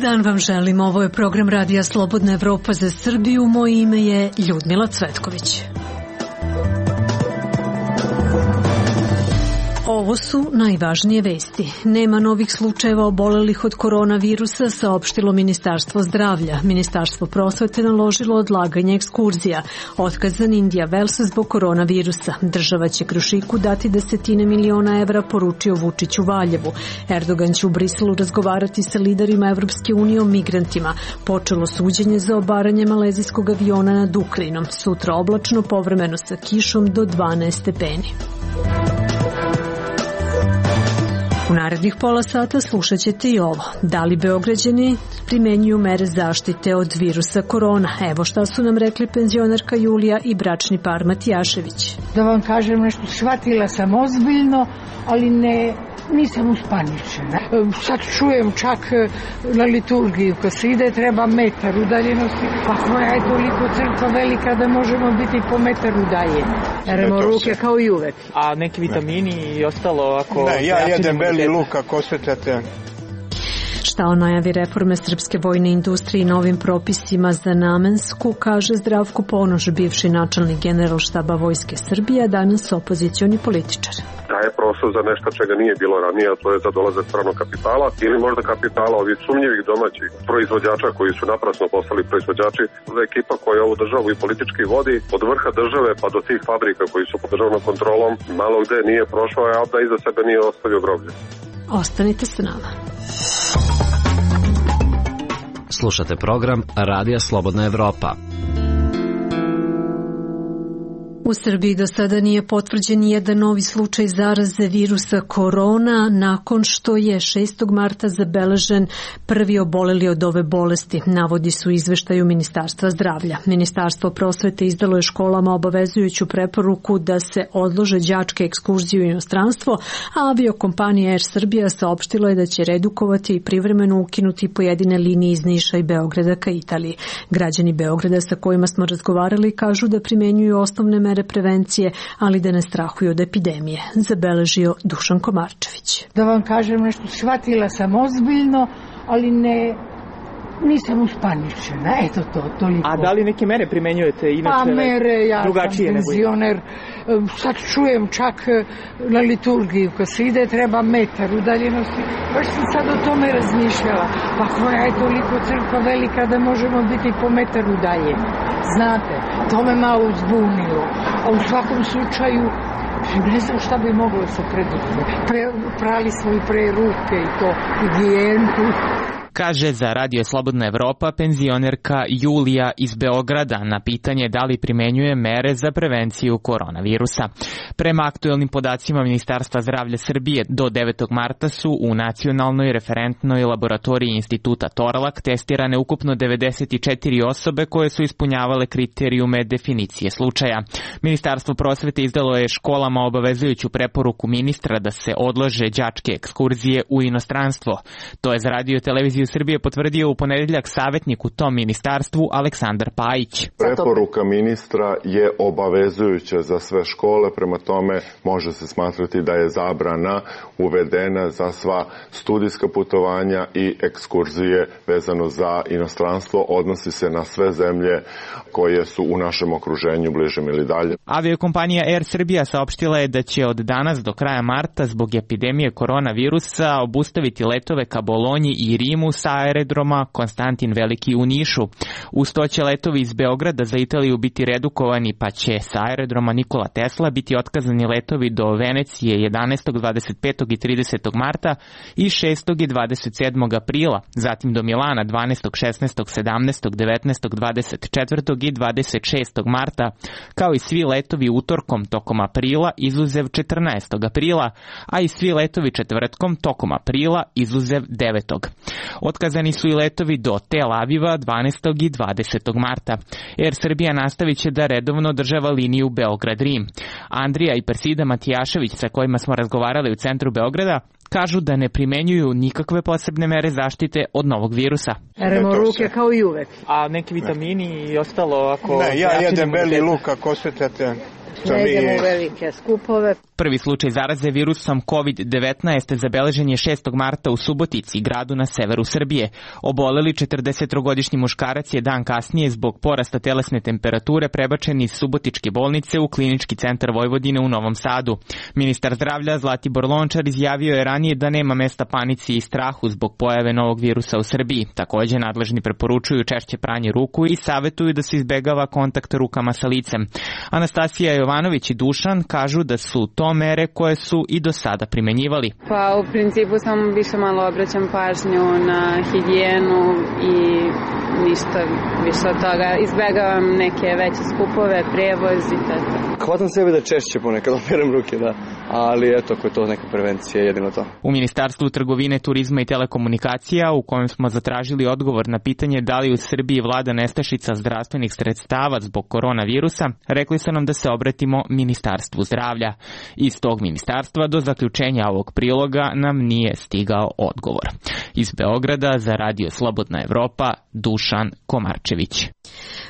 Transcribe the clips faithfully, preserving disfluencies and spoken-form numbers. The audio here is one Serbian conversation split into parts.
dan vam želim. Ovo je program Radija Slobodna Evropa za Srbiju. Moje ime je Ljudmila Cvetković. Ovo su najvažnije vesti. Nema novih slučajeva obolelih od koronavirusa, saopštilo Ministarstvo zdravlja. Ministarstvo prosvete naložilo odlaganje ekskurzija. Otkazan Indija Vels zbog koronavirusa. Država će Krušiku dati desetine miliona evra, poručio Vučić u Valjevu. Erdogan će u Briselu razgovarati sa liderima Evropske unije o migrantima. Počelo suđenje za obaranje malezijskog aviona nad Ukrajinom. Sutra oblačno, povremeno sa kišom do dvanaest stepeni. U narednih pola sata slušat ćete i ovo. Da li Beograđani primenjuju mere zaštite od virusa korona? Evo šta su nam rekli penzionerka Julija i bračni par Matijašević. Da vam kažem nešto, shvatila sam ozbiljno, ali ne, nisam uspaničena. Sad čujem čak na liturgiju, kad se ide treba metar udaljenosti, pa koja je toliko crkva velika da možemo biti po metar udaljeni. Peremo ruke kao i uvek. A neki vitamini i ostalo ako... Ne, ja jedem beli luk ako osjećate. Šta o najavi reforme srpske vojne industrije i novim propisima za namensku, kaže Zdravko Ponoš, bivši načelnik Generalštaba Vojske Srbije, danas opozicioni političar. Daje prostor za nešto čega nije bilo ranije, a to je za dolazak stranog kapitala ili možda kapitala ovih sumnjivih domaćih proizvođača koji su naprasno postali proizvođači. Ekipa koja ovu državu i politički vodi od vrha države pa do tih fabrika koji su pod državnom kontrolom malo gde nije prošao, a da iza sebe nije ostavio groblje. Ostanite s nama. Slušate program Radija Slobodna Evropa. U Srbiji do sada nije potvrđen nijedan novi slučaj zaraze virusa korona, nakon što je šestog marta zabeležen prvi oboleli od ove bolesti, navodi su izveštaju Ministarstva zdravlja. Ministarstvo prosvete izdalo je školama obavezujuću preporuku da se odlože đačke ekskurzije u inostranstvo, a aviokompanija Air Srbija saopštila je da će redukovati i privremeno ukinuti pojedine linije iz Niša i Beograda ka Italiji. Građani Beograda sa kojima smo razgovarali kažu da primenjuju osnovne mere prevencije, ali da ne strahuju od epidemije, zabeležio Dušan Komarčević. Da vam kažem nešto, shvatila sam ozbiljno, ali ne, nisam uspaničena, eto to, toliko. A da li neke mere primenjujete inače? Pa mere, ja drugačije sam penzioner, sad čujem čak na liturgiju, kad se ide treba metar udaljenosti, baš sam sad o tome razmišljala, pa koja je toliko crkva velika da možemo biti po metar udaljeni. Znate, to me malo uzbunilo, a u svakom slučaju ne znam šta bi moglo se preduzeti. Pre, prali smo i pre ruke i to, higijenu. Kaže za Radio Slobodna Evropa penzionerka Julija iz Beograda na pitanje da li primenjuje mere za prevenciju koronavirusa. Prema aktuelnim podacima Ministarstva zdravlja Srbije do devetog marta su u nacionalnoj referentnoj laboratoriji Instituta Torlak testirane ukupno devedeset četiri osobe koje su ispunjavale kriterijume definicije slučaja. Ministarstvo prosvete izdalo je školama obavezujuću preporuku ministra da se odlože đačke ekskurzije u inostranstvo. To je za Radio televiziju Srbije potvrdio u ponedeljak savjetnik u tom ministarstvu Aleksandar Pajić. Preporuka ministra je obavezujuća za sve škole, prema tome može se smatrati da je zabrana uvedena za sva studijska putovanja i ekskurzije vezano za inostranstvo, odnosi se na sve zemlje koje su u našem okruženju bližem ili dalje. Aviokompanija Air Srbija saopštila je da će od danas do kraja marta zbog epidemije koronavirusa obustaviti letove ka Bolonji i Rimu sa aerodroma Konstantin Veliki u Nišu. Uz to će letovi iz Beograda za Italiju biti redukovani, pa će sa aerodroma Nikola Tesla biti otkazani letovi do Venecije jedanaestog, dvadeset petog i tridesetog marta i šestog i dvadeset sedmog aprila, zatim do Milana dvanaestog, šesnaestog, sedamnaestog, devetnaestog, dvadeset četvrtog i dvadeset šestog marta, kao i svi letovi utorkom tokom aprila izuzev četrnaestog aprila, a i svi letovi četvrtkom tokom aprila izuzev devetog Otkazani su i letovi do Tel Aviva dvanaestog i dvadesetog marta. Air Srbija nastavit će da redovno održava liniju Beograd-Rim. Andrija i Persida Matijašević, sa kojima smo razgovarali u centru Beograda, kažu da ne primenjuju nikakve posebne mere zaštite od novog virusa. Peremo ruke kao i uvek. A neki vitamini i ostalo ako... Ne, ja jedem beli luk ako osjećate. Ne idemo u velike skupove. Prvi slučaj zaraze virusom kovid devetnaest zabeležen je šestog marta u Subotici, gradu na severu Srbije. Oboleli četrdesettrogodišnji muškarac je dan kasnije zbog porasta telesne temperature prebačen iz Subotičke bolnice u Klinički centar Vojvodine u Novom Sadu. Ministar zdravlja Zlatibor Lončar izjavio je ranije da nema mesta panici i strahu zbog pojave novog virusa u Srbiji. Takođe, nadležni preporučuju češće pranje ruku i savetuju da se izbegava kontakt rukama sa licem. Anastasija Jovanović i Dušan kažu da su to mere koje su i do sada primenjivali. Pa u principu samo više malo obraćam pažnju na higijenu i ništa više od toga. Izbegavam neke veće skupove, prevoz i tako. Hvatam sebe da češće ponekad operem ruke, da. Ali eto, ako je to neka prevencija, jedino to. U Ministarstvu trgovine, turizma i telekomunikacija, u kojem smo zatražili odgovor na pitanje da li u Srbiji vlada nestašica zdravstvenih sredstava zbog koronavirusa, rekli su nam da se obratimo Ministarstvu zdravlja. Iz tog ministarstva do zaključenja ovog priloga nam nije stigao odgovor. Iz Beograda za Radio Slobodna Evropa, Dušan Komarčević.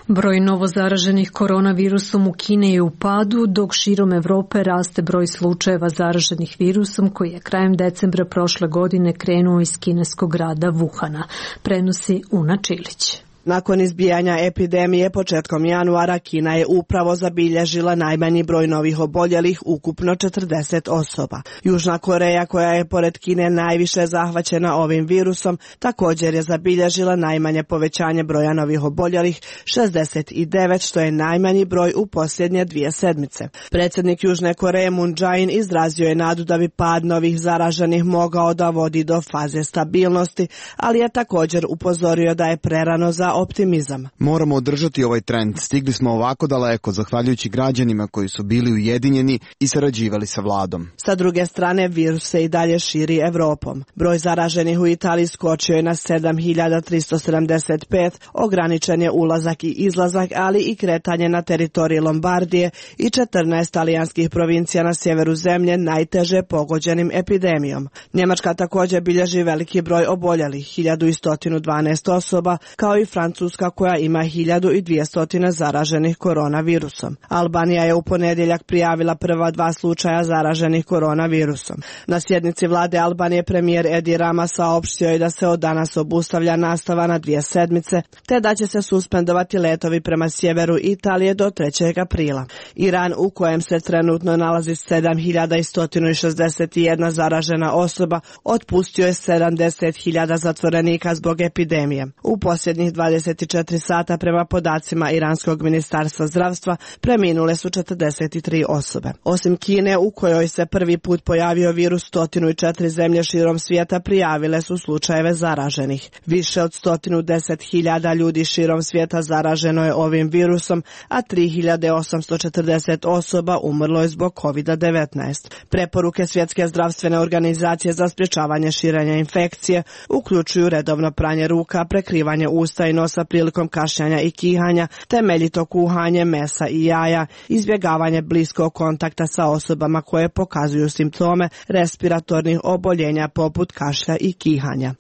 Broj novozaraženih koronavirusom u Kini je u padu, dok širom Evrope raste broj slučajeva zaraženih virusom koji je krajem decembra prošle godine krenuo iz kineskog grada Wuhana, prenosi Una Čilić. Nakon izbijanja epidemije početkom januara, Kina je upravo zabilježila najmanji broj novih oboljelih, ukupno četrdeset osoba. Južna Koreja, koja je pored Kine najviše zahvaćena ovim virusom, također je zabilježila najmanje povećanje broja novih oboljelih, šezdeset devet, što je najmanji broj u posljednje dvije sedmice. Predsjednik Južne Koreje Moon Jae-in izrazio je nadu da bi pad novih zaraženih mogao da vodi do faze stabilnosti, ali je također upozorio da je prerano za optimizam. Moramo održati ovaj trend. Stigli smo ovako daleko zahvaljujući građanima koji su bili ujedinjeni i sarađivali sa vladom. Sa druge strane, virus se i dalje širi Evropom. Broj zaraženih u Italiji skočio je na sedam hiljada tristo sedamdeset pet, ograničen je ulazak i izlazak, ali i kretanje na teritoriji Lombardije i četrnaest talijanskih provincija na sjeveru zemlje najteže pogođenim epidemijom. Njemačka također bilježi veliki broj oboljelih, hiljadu sto dvanaest osoba, kao i Francuska koja ima hiljadu dvjesto zaraženih koronavirusom. Albanija je u ponedjeljak prijavila prva dva slučaja zaraženih koronavirusom. Na sjednici vlade Albanije premijer Edi Rama saopštio je da se od danas obustavlja nastava na dvije sedmice, te da će se suspendovati letovi prema sjeveru Italije do trećeg aprila. Iran, u kojem se trenutno nalazi sedam hiljada sto šezdeset jedna zaražena osoba, otpustio je sedamdeset hiljada zatvorenika zbog epidemije. U posljednjih dvadeset četiri sata prema podacima Iranskog ministarstva zdravstva preminule su četrdeset tri osobe. Osim Kine, u kojoj se prvi put pojavio virus, sto četiri zemlje širom svijeta prijavile su slučajeve zaraženih. Više od sto deset hiljada ljudi širom svijeta zaraženo je ovim virusom, a tri hiljade osamsto četrdeset osoba umrlo je zbog kovid devetnaest. Preporuke Svjetske zdravstvene organizacije za sprječavanje širenja infekcije uključuju redovno pranje ruka, prekrivanje usta i nosa prilikom kašljanja i kihanja, temeljito kuhanje mesa i jaja, izbjegavanje bliskog kontakta sa osobama koje pokazuju simptome respiratornih oboljenja poput kašlja i kihanja.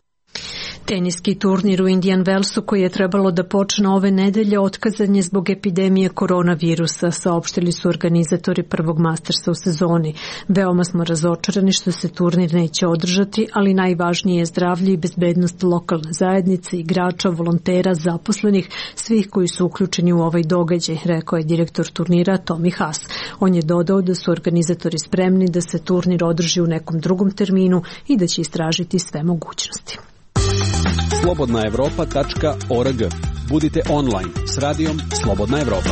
Teniski turnir u Indian Wellsu koji je trebalo da počne ove nedelje otkazan je zbog epidemije koronavirusa, saopštili su organizatori prvog Mastersa u sezoni. Veoma smo razočarani što se turnir neće održati, ali najvažnije je zdravlje i bezbednost lokalne zajednice, igrača, volontera, zaposlenih, svih koji su uključeni u ovaj događaj, rekao je direktor turnira Tommy Haas. On je dodao da su organizatori spremni da se turnir održi u nekom drugom terminu i da će istražiti sve mogućnosti. slobodna evropa tačka org. Budite online s radijom Slobodna Evropa.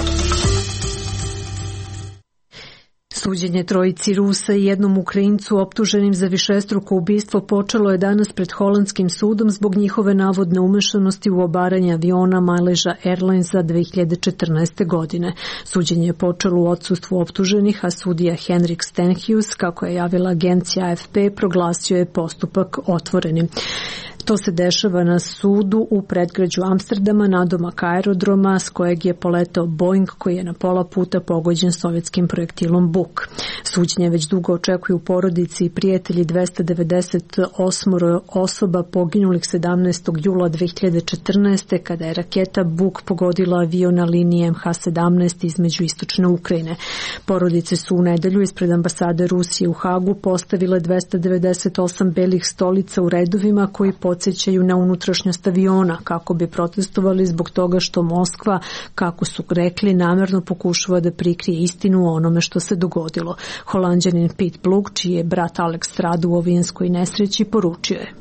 Suđenje trojici Rusa i jednom Ukrajincu optuženim za višestruko ubistvo počelo je danas pred holandskim sudom zbog njihove navodne umešanosti u obaranje aviona Malaysia Airlinesa dve hiljade četrnaeste. godine. Suđenje je počelo u odsustvu optuženih, a sudija Henrik Stenhuis, kako je javila agencija A F P, proglasio je postupak otvorenim. To se dešava na sudu u predgrađu Amsterdama nadomak aerodroma s kojeg je poletao Boeing koji je na pola puta pogođen sovjetskim projektilom Buk. Suđenje već dugo očekuju porodici i prijatelji dvesta devedeset osam osoba poginulih sedamnaestog jula dve hiljade četrnaeste. kada je raketa Buk pogodila avion na liniji em ha sedamnaest između istočne Ukrajine. Porodice su u nedelju ispred ambasade Rusije u Hagu postavile dvesta devedeset osam belih stolica u redovima koji podsjećaju na unutrašnjost aviona kako bi protestovali zbog toga što Moskva, kako su rekli, namerno pokušava da prikrije istinu o onome što se dogodilo. Holanđanin Pete Blug, čiji je brat Alex strada u avijanskoj nesreći, poručio je: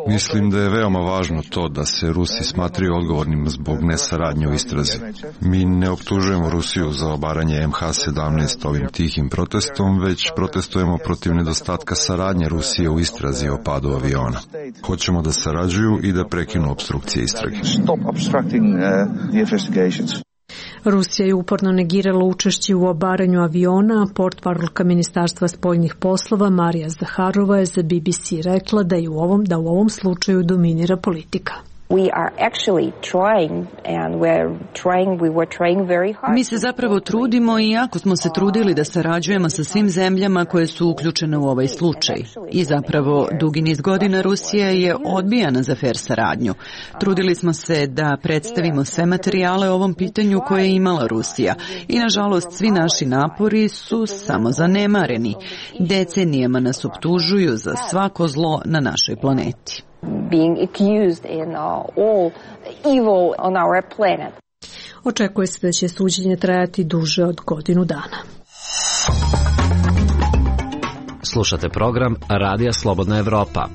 Mislim da je veoma važno to da se Rusi smatraju odgovornim zbog nesaradnje u istrazi. Mi ne optužujemo Rusiju za obaranje em ha sedamnaest ovim tihim protestom, već protestujemo protiv nedostatka saradnje Rusije u istrazi o padu aviona. Hoćemo da sarađuju i da prekinu opstrukcije istrage. Rusija je uporno negirala učešće u obaranju aviona, a portparolka Ministarstva spoljnih poslova Marija Zaharova je za be be ce rekla da, je u ovom, da u ovom slučaju dominira politika. Mi se zapravo trudimo i jako smo se trudili da sarađujemo sa svim zemljama koje su uključene u ovaj slučaj. I zapravo dugi niz godina Rusija je odbijana za fer saradnju. Trudili smo se da predstavimo sve materijale o ovom pitanju koje je imala Rusija. I nažalost svi naši napori su samo zanemareni. Decenijama nas optužuju za svako zlo na našoj planeti. Being accused in uh, all evil on our planet. Očekuje se da će suđenje trajati duže od godinu dana. Slušate program Radija Slobodna Evropa.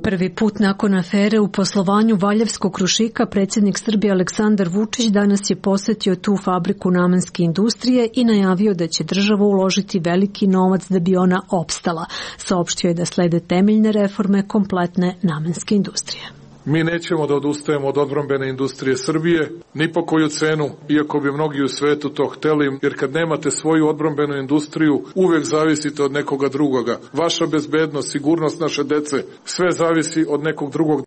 Prvi put nakon afere u poslovanju Valjevskog Krušika predsjednik Srbije Aleksandar Vučić danas je posetio tu fabriku namenske industrije i najavio da će država uložiti veliki novac da bi ona opstala. Saopštio je da slede temeljne reforme kompletne namenske industrije. Mi nećemo da odustajemo od odbrambene industrije Srbije, ni po koju cenu, iako bi mnogi u svetu to hteli, jer kad nemate svoju odbrambenu industriju, uvek zavisite od nekoga drugoga. Vaša bezbednost, sigurnost naše dece, sve zavisi od nekog drugog.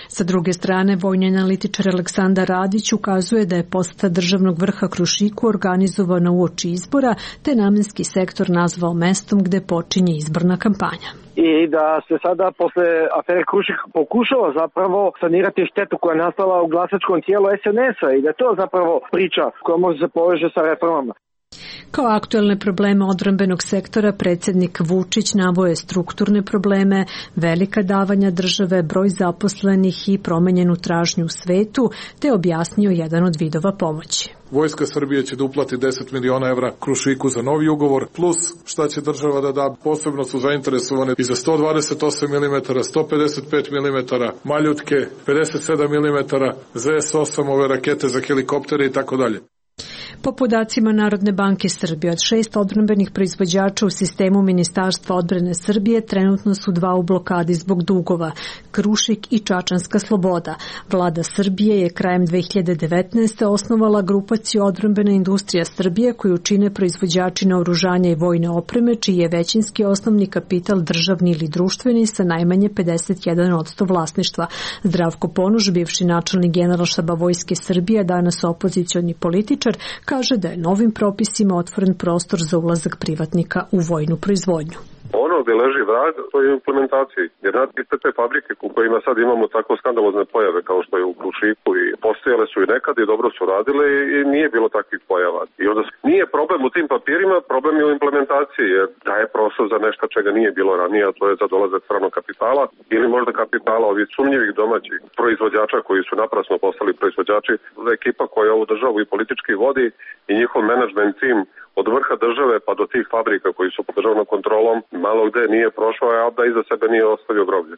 Sa druge strane, vojni analitičar Aleksandar Radić ukazuje da je poseta državnog vrha Krušiku organizovana uoči izbora, te namenski sektor nazvao mestom gde počinje izborna kampanja. I da se sada posle afere Krušik pokušava zapravo sanirati štetu koja je nastala u glasačkom tijelu es en es-a i da je to zapravo priča koja može se poveže sa reformama. Kao aktuelne probleme odbrambenog sektora predsjednik Vučić navoje strukturne probleme, velika davanja države, broj zaposlenih i promenjenu tražnju u svetu, te objasnio jedan od vidova pomoći. Vojska Srbije će da uplati deset miliona evra Krušiku za novi ugovor, plus šta će država da da. Posebno su zainteresovane i za sto dvadeset osam milimetara, sto pedeset pet milimetara, maljutke, pedeset sedam milimetara, zet es osam, ove rakete za helikoptere i tako dalje. Po podacima Narodne banke Srbije, od šest odbrambenih proizvođača u sistemu Ministarstva odbrane Srbije trenutno su dva u blokadi zbog dugova, Krušik i Čačanska Sloboda. Vlada Srbije je krajem dve hiljade devetnaeste. osnovala grupaciju odbrambena industrija Srbije koju čine proizvođači naoružanja i vojne opreme, čiji je većinski osnovni kapital državni ili društveni sa najmanje pedeset jedan posto vlasništva. Zdravko Ponoš, bivši načelnik Generalštaba Vojske Srbije, danas opozicioni političar, kaže da je novim propisima otvoren prostor za ulazak privatnika u vojnu proizvodnju. Ono gde leži vrag, to je u implementaciji. Jer iste te fabrike u kojima sad imamo tako skandalozne pojave kao što je u Krušiku i postojale su i nekad i dobro su radile i nije bilo takvih pojava. I onda nije problem u tim papirima, problem je u implementaciji jer daje prostor za nešto čega nije bilo ranije, a to je za dolazak stranog kapitala ili možda kapitala ovih sumnjivih domaćih proizvođača koji su naprasno postali proizvođači. Ekipa koja ovu državu i politički vodi i njihov menadžment tim od vrha države pa do tih fabrika koji su pod državnom kontrolom malo gde nije prošao, a da iza sebe nije ostavio groblje.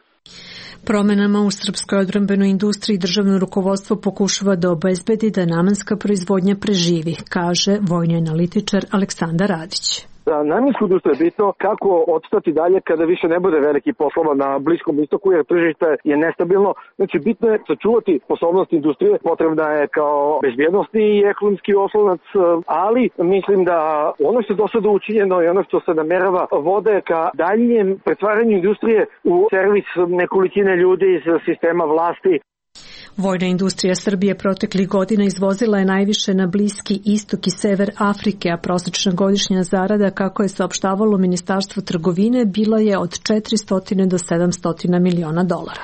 Promenama u srpskoj odbrambenoj industriji državno rukovodstvo pokušava da obezbedi da namenska proizvodnja preživi, kaže vojni analitičar Aleksandar Radić. Za namensku industriju je bitno kako odstati dalje kada više ne bude veliki poslova na Bliskom istoku, jer tržište je nestabilno. Znači, bitno je sačuvati sposobnost industrije, potrebna je kao bezbjednostni i ekonomski oslonac, ali mislim da ono što je do sada učinjeno i ono što se namerava vode ka daljem pretvaranju industrije u servis nekolicine ljudi iz sistema vlasti. Vojna industrija Srbije proteklih godina izvozila je najviše na Bliski istok i sever Afrike, a prosečna godišnja zarada, kako je saopštavalo Ministarstvo trgovine, bila je od četiristo do sedamsto miliona dolara.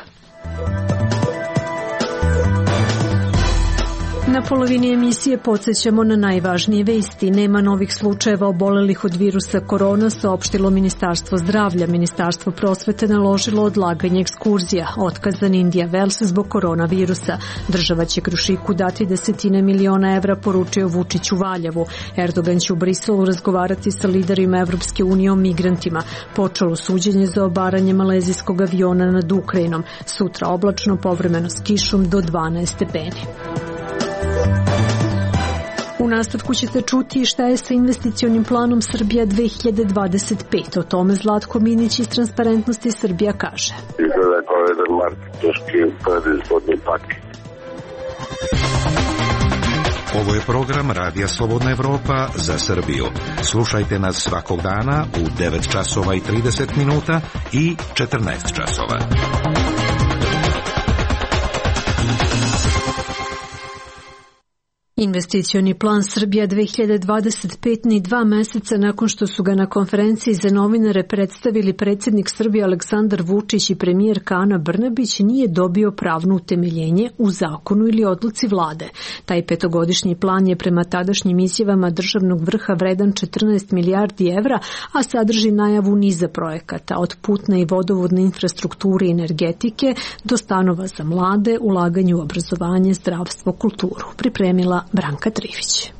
Na polovini emisije podsjećamo na najvažnije vesti. Nema novih slučajeva obolelih od virusa korona, saopštilo Ministarstvo zdravlja. Ministarstvo prosvete naložilo odlaganje ekskurzija. Otkazan Indija Vels zbog koronavirusa. Država će Krušiku dati desetine miliona evra, poručio Vučić u Valjevu. Erdogan će u Briselu razgovarati sa liderima Evropske unije o migrantima. Počelo suđenje za obaranje malezijskog aviona nad Ukrajinom. Sutra oblačno, povremeno s kišom do dvanaest stepeni. U nastavku ćete čuti šta je sa investicionim planom Srbija dve hiljade dvadeset pet. O tome Zlatko Minić iz Transparentnosti Srbija kaže. Izgleda kao jedan marketinški predizvodni paket. Ovo je program Radija Slobodna Evropa za Srbiju. Slušajte nas svakog dana u devet časova i trideset minuta i četrnaest časova. Investicioni plan Srbija dve hiljade dvadeset pet ni dva meseca nakon što su ga na konferenciji za novinare predstavili predsjednik Srbije Aleksandar Vučić i premijerka Ana Brnabić, nije dobio pravno utemeljenje u zakonu ili odluci vlade. Taj petogodišnji plan je prema tadašnjim izjavama državnog vrha vredan četrnaest milijardi evra, a sadrži najavu niza projekata, od putne i vodovodne infrastrukture i energetike do stanova za mlade, ulaganje u obrazovanje, zdravstvo, kulturu. Pripremila Branka Trivić.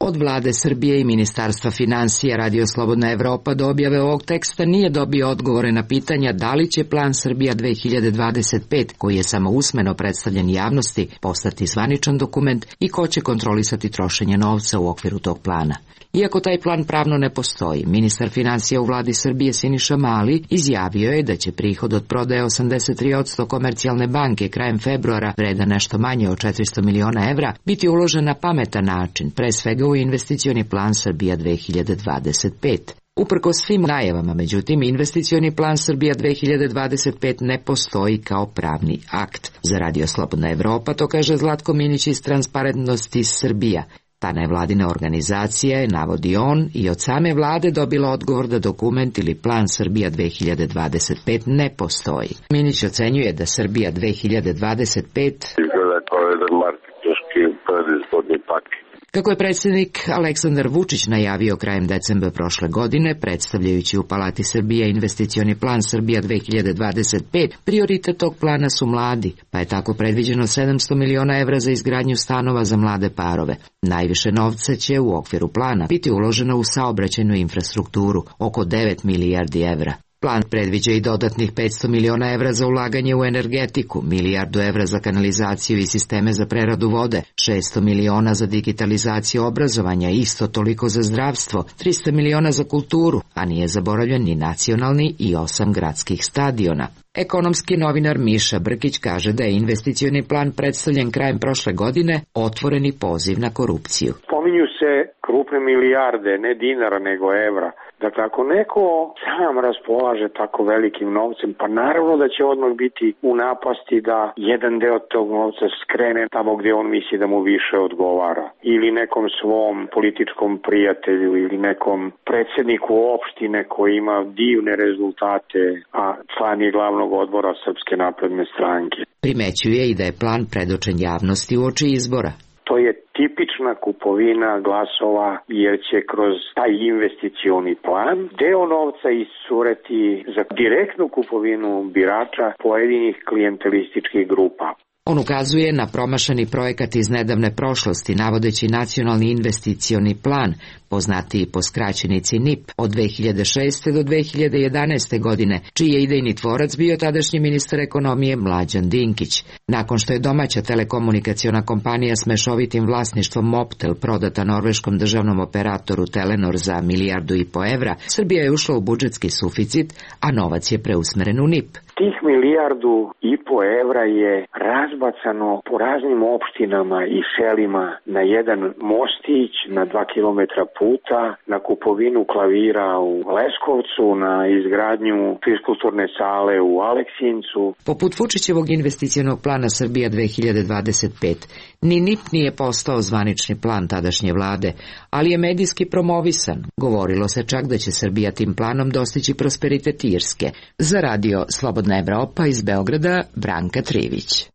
Od vlade Srbije i Ministarstva financija Radio Slobodna Evropa do objave ovog teksta nije dobio odgovore na pitanja da li će plan Srbija dve hiljade dvadeset pet, koji je samo usmeno predstavljen javnosti, postati zvaničan dokument i ko će kontrolisati trošenje novca u okviru tog plana. Iako taj plan pravno ne postoji, ministar financija u vladi Srbije Siniša Mali izjavio je da će prihod od prodaje osamdeset tri posto Komercijalne banke krajem februara, vredan nešto manje od četiristo miliona evra, biti uložen na pametan način, pre svega u investicioni plan Srbija dve hiljade dvadeset pet. Uprkos svim najavama, međutim, investicioni plan Srbija dve hiljade dvadeset pet ne postoji kao pravni akt. Za Radio Slobodna Evropa to kaže Zlatko Minić iz Transparentnosti Srbija. Ta nevladina organizacija je, navodi on, i od same vlade dobila odgovor da dokument ili plan Srbija dve hiljade dvadeset pet ne postoji. Minić ocenjuje da Srbija dve hiljade dvadeset pet izgleda kao jedan marketinški predizvodni paket. Kako je predsjednik Aleksandar Vučić najavio krajem decembra prošle godine, predstavljajući u Palati Srbije investicioni plan Srbija dve hiljade dvadeset pet, prioritet tog plana su mladi, pa je tako predviđeno sedamsto miliona evra za izgradnju stanova za mlade parove. Najviše novca će u okviru plana biti uloženo u saobraćajnu infrastrukturu, oko devet milijardi evra. Plan predviđa i dodatnih petsto miliona evra za ulaganje u energetiku, milijardu evra za kanalizaciju i sisteme za preradu vode, šesto miliona za digitalizaciju obrazovanja, isto toliko za zdravstvo, trista miliona za kulturu, a nije zaboravljen ni nacionalni i osam gradskih stadiona. Ekonomski novinar Miša Brkić kaže da je investicioni plan predstavljen krajem prošle godine otvoreni poziv na korupciju. Pominju se krupne milijarde, ne dinara nego evra. Dakle, ako neko sam raspolaže tako velikim novcem, pa naravno da će odmah biti u napasti da jedan deo tog novca skrene tamo gdje on misli da mu više odgovara. Ili nekom svom političkom prijatelju ili nekom predsjedniku opštine koji ima divne rezultate, a član je glavnog odbora Srpske napredne stranke. Primećuje i da je plan predočen javnosti uoči izbora. To je tipična kupovina glasova jer će kroz taj investicioni plan deo novca iscureti za direktnu kupovinu birača pojedinih klijentelističkih grupa. On ukazuje na promašani projekat iz nedavne prošlosti, navodeći nacionalni investicioni plan, poznatiji po skraćenici N I P, od dve hiljade šeste do dve hiljade jedanaeste godine, čiji je idejni tvorac bio tadašnji ministar ekonomije Mlađan Dinkić. Nakon što je domaća telekomunikaciona kompanija s mešovitim vlasništvom Mobtel prodata norveškom državnom operatoru Telenor za milijardu i po evra, Srbija je ušla u budžetski suficit, a novac je preusmeren u N I P. Tih milijardu i po evra je razbacano po raznim opštinama i selima na jedan mostić, na dva kilometra puta, na kupovinu klavira u Leskovcu, na izgradnju fiskulturne sale u Aleksincu. Poput Vučićevog investicionog plana Srbija dve hiljade dvadeset pet, ni N I P nije postao zvanični plan tadašnje vlade, ali je medijski promovisan. Govorilo se čak da će Srbija tim planom dostići prosperitet Irske. Za radio Slobodna Evropa iz Beograda, Branka Trivić.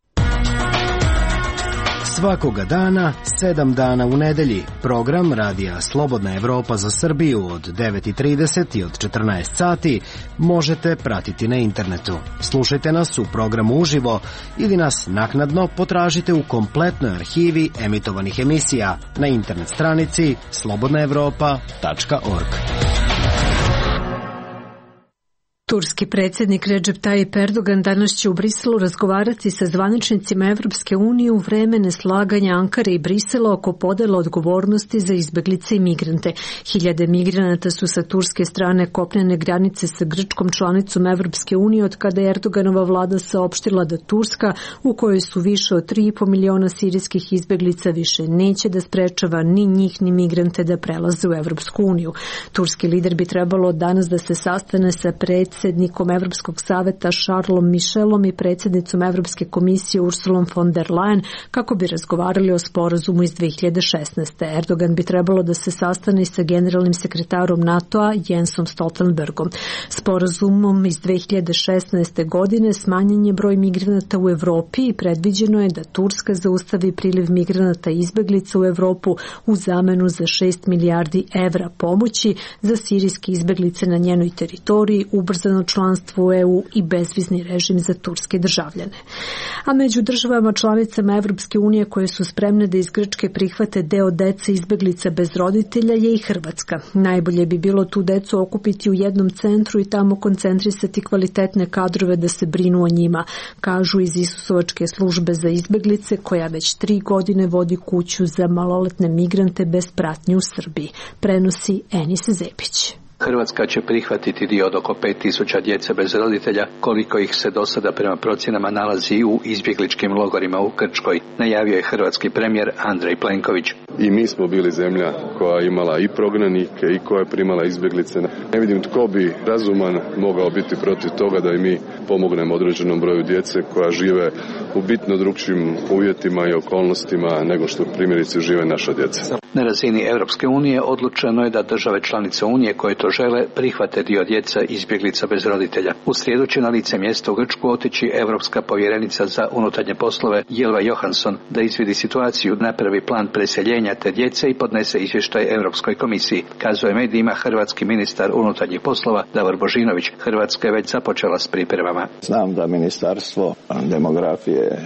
Svakoga dana, sedam dana u nedelji, program radija Slobodna Evropa za Srbiju od devet i trideset i od četrnaest sati možete pratiti na internetu. Slušajte nas u programu uživo ili nas naknadno potražite u kompletnoj arhivi emitovanih emisija na internet stranici slobodna evropa tačka org. Turski predsjednik Recep Tayyip Erdogan danas će u Briselu razgovarati sa zvaničnicima Evropske unije u vreme neslaganja Ankare i Brisela oko podela odgovornosti za izbeglice i migrante. Hiljade migranata su sa turske strane kopnene granice sa Grčkom, članicom Evropske unije, od kada je Erdoganova vlada saopštila da Turska, u kojoj su više od tri i po miliona sirijskih izbeglica, više neće da sprečava ni njih ni migrante da prelaze u Evropsku uniju. Turski lider bi trebalo danas da se sastane sa predsjednikom predsjednikom Evropskog saveta Charlesom Michelom i predsjednicom Evropske komisije Ursulom von der Leyen kako bi razgovarali o sporazumu iz dve hiljade šesnaeste. Erdogan bi trebalo da se sastane sa generalnim sekretarom NATO-a Jensom Stoltenbergom. Sporazumom iz dve hiljade šesnaeste. godine smanjen je broj migranata u Evropi i predviđeno je da Turska zaustavi priliv migranata i izbeglica u Evropu u zamenu za šest milijardi evra pomoći za sirijske izbeglice na njenoj teritoriji, ubrzano članstvo u E U i bezvizni režim za turske državljane. A među državama članicama Evropske unije koje su spremne da iz Grčke prihvate deo dece izbeglica bez roditelja je i Hrvatska. Najbolje bi bilo tu decu okupiti u jednom centru i tamo koncentrisati kvalitetne kadrove da se brinu o njima, kažu iz Isusovačke službe za izbeglice koja već tri godine vodi kuću za maloletne migrante bez pratnje u Srbiji. Prenosi Enis Zepić. Hrvatska će prihvatiti dio od oko pet tisuća djece bez roditelja, koliko ih se do sada prema procjenama nalazi u izbjegličkim logorima u Grčkoj, najavio je hrvatski premijer Andrej Plenković. I mi smo bili zemlja koja je imala i prognanike i koja je primala izbjeglice. Ne vidim tko bi razuman mogao biti protiv toga da i mi pomognemo određenom broju djece koja žive u bitno drugčijim uvjetima i okolnostima nego što primjerice žive naša djeca. Na razini Europske unije odlučeno je da države članice Unije koje to žele prihvate dio djeca izbjeglica bez roditelja. U srijedu će na lice mjesta u Grčku otići Europska povjerenica za unutarnje poslove Jelva Johansson da izvidi situaciju, napravi plan preseljenja te djece i podnese izvještaj Europskoj komisiji. Kazuje medijima hrvatski ministar unutarnjih poslova Davor Božinović. Hrvatska je već započela s pripremama. Znam da Ministarstvo demografije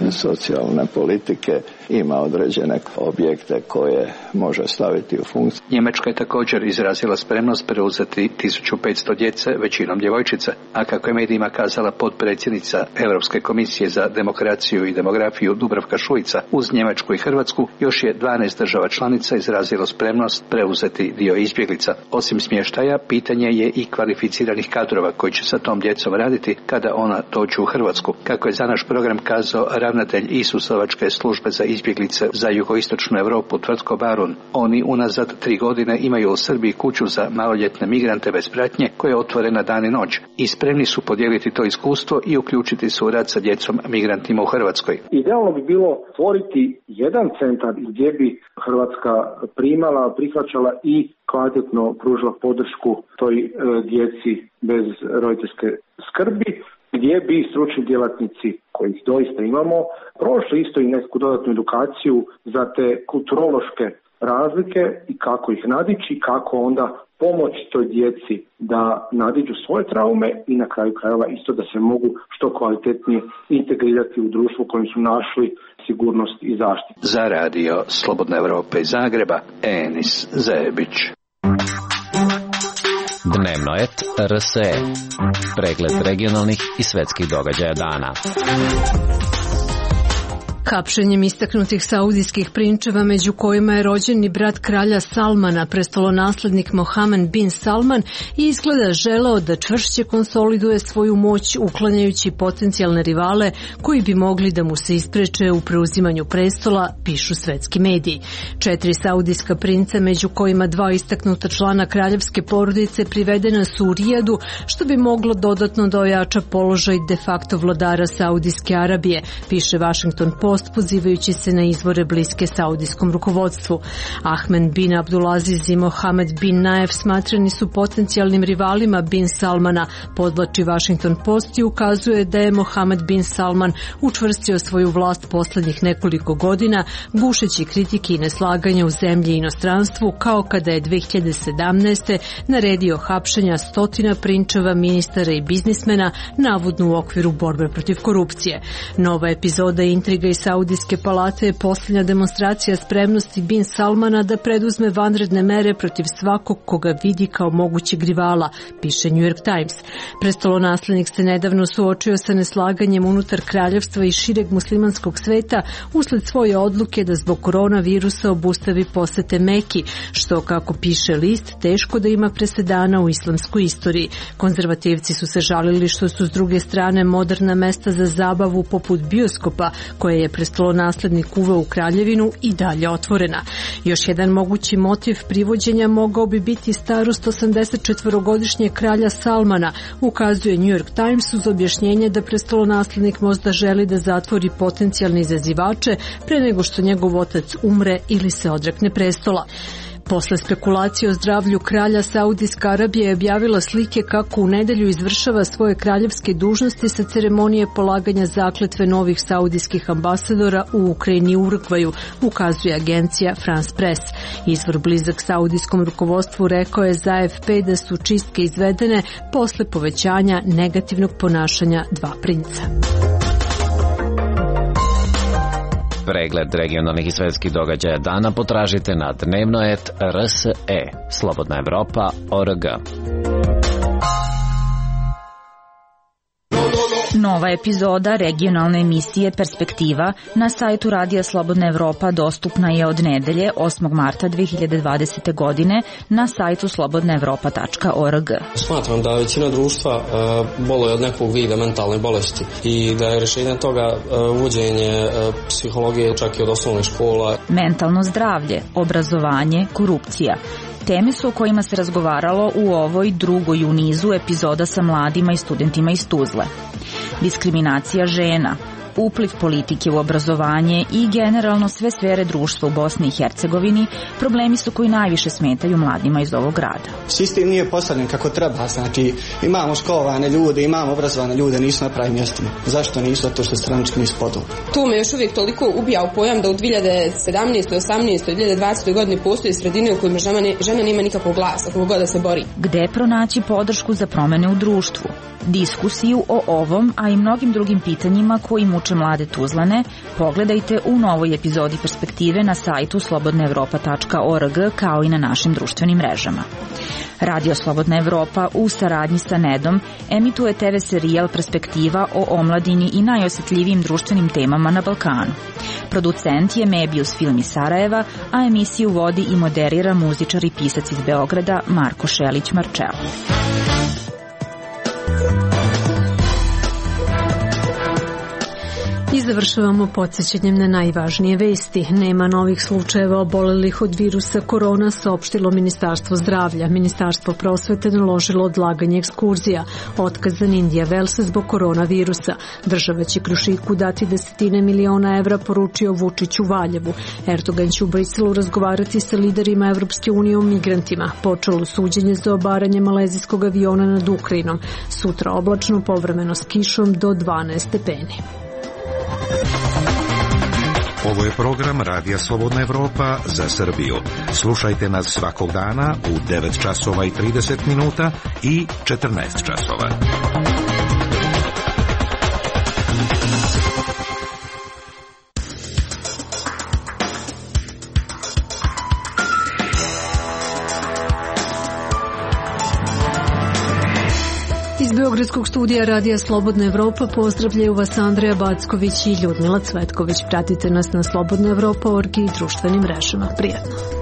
i socijalne politike ima određene objekte koje može staviti u funkciju. Njemačka je također izrazila spremnost preuzeti tisuću petsto djece, većinom djevojčica, a kako je medijima kazala potpredsjednica Europske komisije za demokraciju i demografiju Dubravka Šuica, uz Njemačku i Hrvatsku još je dvanaest država članica izrazilo spremnost preuzeti dio izbjeglica. Osim smještaja, pitanje je i kvalificiranih kadrova koji će sa tom djecom raditi kada ona dođu u Hrvatsku. Kako je za naš program kazao ravnatelj Isusovačke službe za izbjeglice za jugoistočnu Europu Tvrtko Barun, oni unazad tri godine imaju u Srbiji kuću za maloljetne migrante bez pratnje koja je otvorena dan i noć i spremni su podijeliti to iskustvo i uključiti se u rad sa djecom migrantima u Hrvatskoj. Idealno bi bilo stvoriti jedan centar gdje bi Hrvatska primala, prihvaćala i kvalitetno pružila podršku toj e, djeci bez roditeljske skrbi, gdje bi stručni djelatnici, kojih doista imamo, prošli isto i neku dodatnu edukaciju za te kulturološke razlike i kako ih nadići, kako onda pomoć toj djeci da nadiđu svoje traume i na kraju krajeva isto da se mogu što kvalitetnije integrirati u društvu u kojem su našli sigurnost i zaštitu. Za radio Slobodna Evropa iz Zagreba, Enis Zebić. Dnevno et R S E. Pregled regionalnih i svetskih događaja dana. Hapšenjem istaknutih saudijskih prinčeva, među kojima je rođeni brat kralja Salmana, prestolonaslednik Mohamed bin Salman, i izgleda želeo da čvršće konsoliduje svoju moć uklanjajući potencijalne rivale koji bi mogli da mu se ispreče u preuzimanju prestola, pišu svetski mediji. Četiri saudijska princa, među kojima dva istaknuta člana kraljevske porodice, privedena su u Rijadu, što bi moglo dodatno da ojača položaj de facto vladara Saudijske Arabije, piše Washington Post, pozivajući se na izvore bliske saudijskom rukovodstvu. Ahmed bin Abdulaziz i Mohamed bin Naef smatrani su potencijalnim rivalima bin Salmana, podvlači Washington Post i ukazuje da je Mohamed bin Salman učvrstio svoju vlast poslednjih nekoliko godina, gušeći kritike i neslaganja u zemlji i inostranstvu, kao kada je dve hiljade sedamnaeste. naredio hapšenja stotina prinčeva, ministara i biznismena, navodno u okviru borbe protiv korupcije. Nova epizoda intriga i Saudijske palate je posljednja demonstracija spremnosti bin Salmana da preduzme vanredne mere protiv svakog koga vidi kao mogućeg rivala, piše New York Times. Prestolonaslednik se nedavno suočio sa neslaganjem unutar kraljevstva i šireg muslimanskog sveta usled svoje odluke da zbog koronavirusa obustavi posete Meki, što, kako piše list, teško da ima presedana u islamskoj istoriji. Konzervativci su se žalili što su s druge strane moderna mesta za zabavu poput bioskopa, koje je prestolonaslednik uveo u kraljevinu, i dalje otvorena. Još jedan mogući motiv privođenja mogao bi biti starost osamdesetčetvorogodišnjeg kralja Salmana, ukazuje New York Times uz objašnjenje da prestolonaslednik možda želi da zatvori potencijalne izazivače pre nego što njegov otac umre ili se odrekne prestola. Posle spekulacije o zdravlju kralja, Saudijska Arabija je objavila slike kako u nedelju izvršava svoje kraljevske dužnosti sa ceremonije polaganja zakletve novih saudijskih ambasadora u Ukrajini i Urugvaju, ukazuje agencija France Press. Izvor blizak saudijskom rukovodstvu rekao je za A F P da su čistke izvedene posle povećanja negativnog ponašanja dva princa. Pregled regionalnih i svetskih događaja dana potražite na dnevno et R S E. Slobodna Evropa O R G. Nova epizoda regionalne emisije Perspektiva na sajtu Radija Slobodna Evropa dostupna je od nedelje osmog marta dve hiljade dvadesete. godine na sajtu slobodna evropa tačka org. Smatram da većina društva uh, boluje od nekog vida mentalne bolesti i da je rješenje toga uh, uvođenje uh, psihologije čak i od osnovnih škola. Mentalno zdravlje, obrazovanje, korupcija. Teme su o kojima se razgovaralo u ovoj drugoj u nizu epizoda sa mladima i studentima iz Tuzle. Diskriminacija žena, upliv politike u obrazovanje i generalno sve sfere društva u Bosni i Hercegovini problemi su koji najviše smetaju mladima iz ovog grada. Sistem nije postavljen kako treba, znači imamo školovane ljude, imamo obrazovane ljude, nisu na pravim mjestima. Zašto nisu? Zato što stranački nisu podobni. To me još uvijek toliko ubija u pojam da u dve hiljade sedamnaestoj, osamnaestoj, dve hiljade dvadesetoj. godini postoji sredine u kojima žena, ne, žena nema nikakvog glasa, kako god da se bori. Gde pronaći podršku za promene u društvu? Diskusiju o ovom, a i mnogim drugim pitanjima koji muče mlade Tuzlane pogledajte u novoj epizodi Perspektive na sajtu slobodna evropa tačka org, kao i na našim društvenim mrežama. Radio Slobodna Evropa u saradnji sa Nedom emituje te ve serijal Perspektiva o omladini i najosjetljivijim društvenim temama na Balkanu. Producent je Mebius Film iz Sarajeva, a emisiju vodi i moderira muzičar i pisac iz Beograda Marko Šelić-Marčelo. I završavamo podsjećanjem na najvažnije vesti. Nema novih slučajeva obolelih od virusa korona, saopštilo Ministarstvo zdravlja. Ministarstvo prosvete naložilo odlaganje ekskurzija. Otkazan Indija Velsa zbog koronavirusa. Država će Krušiku dati desetine miliona evra, poručio Vučić u Valjevu. Erdogan će u Briselu razgovarati sa liderima Evropske unije o migrantima. Počelo suđenje za obaranje malezijskog aviona nad Ukrajinom. Sutra oblačno, povremeno s kišom do dvanaest stepeni. Ovo je program Radija Slobodna Evropa za Srbiju. Slušajte nas svakog dana u devet časova i trideset minuta i četrnaest časova. Iz Beogradskog studija Radija Slobodna Evropa pozdravljaju vas Andreja Backović i Ljudmila Cvetković. Pratite nas na slobodna evropa точка org i društvenim mrežama. Prijetno.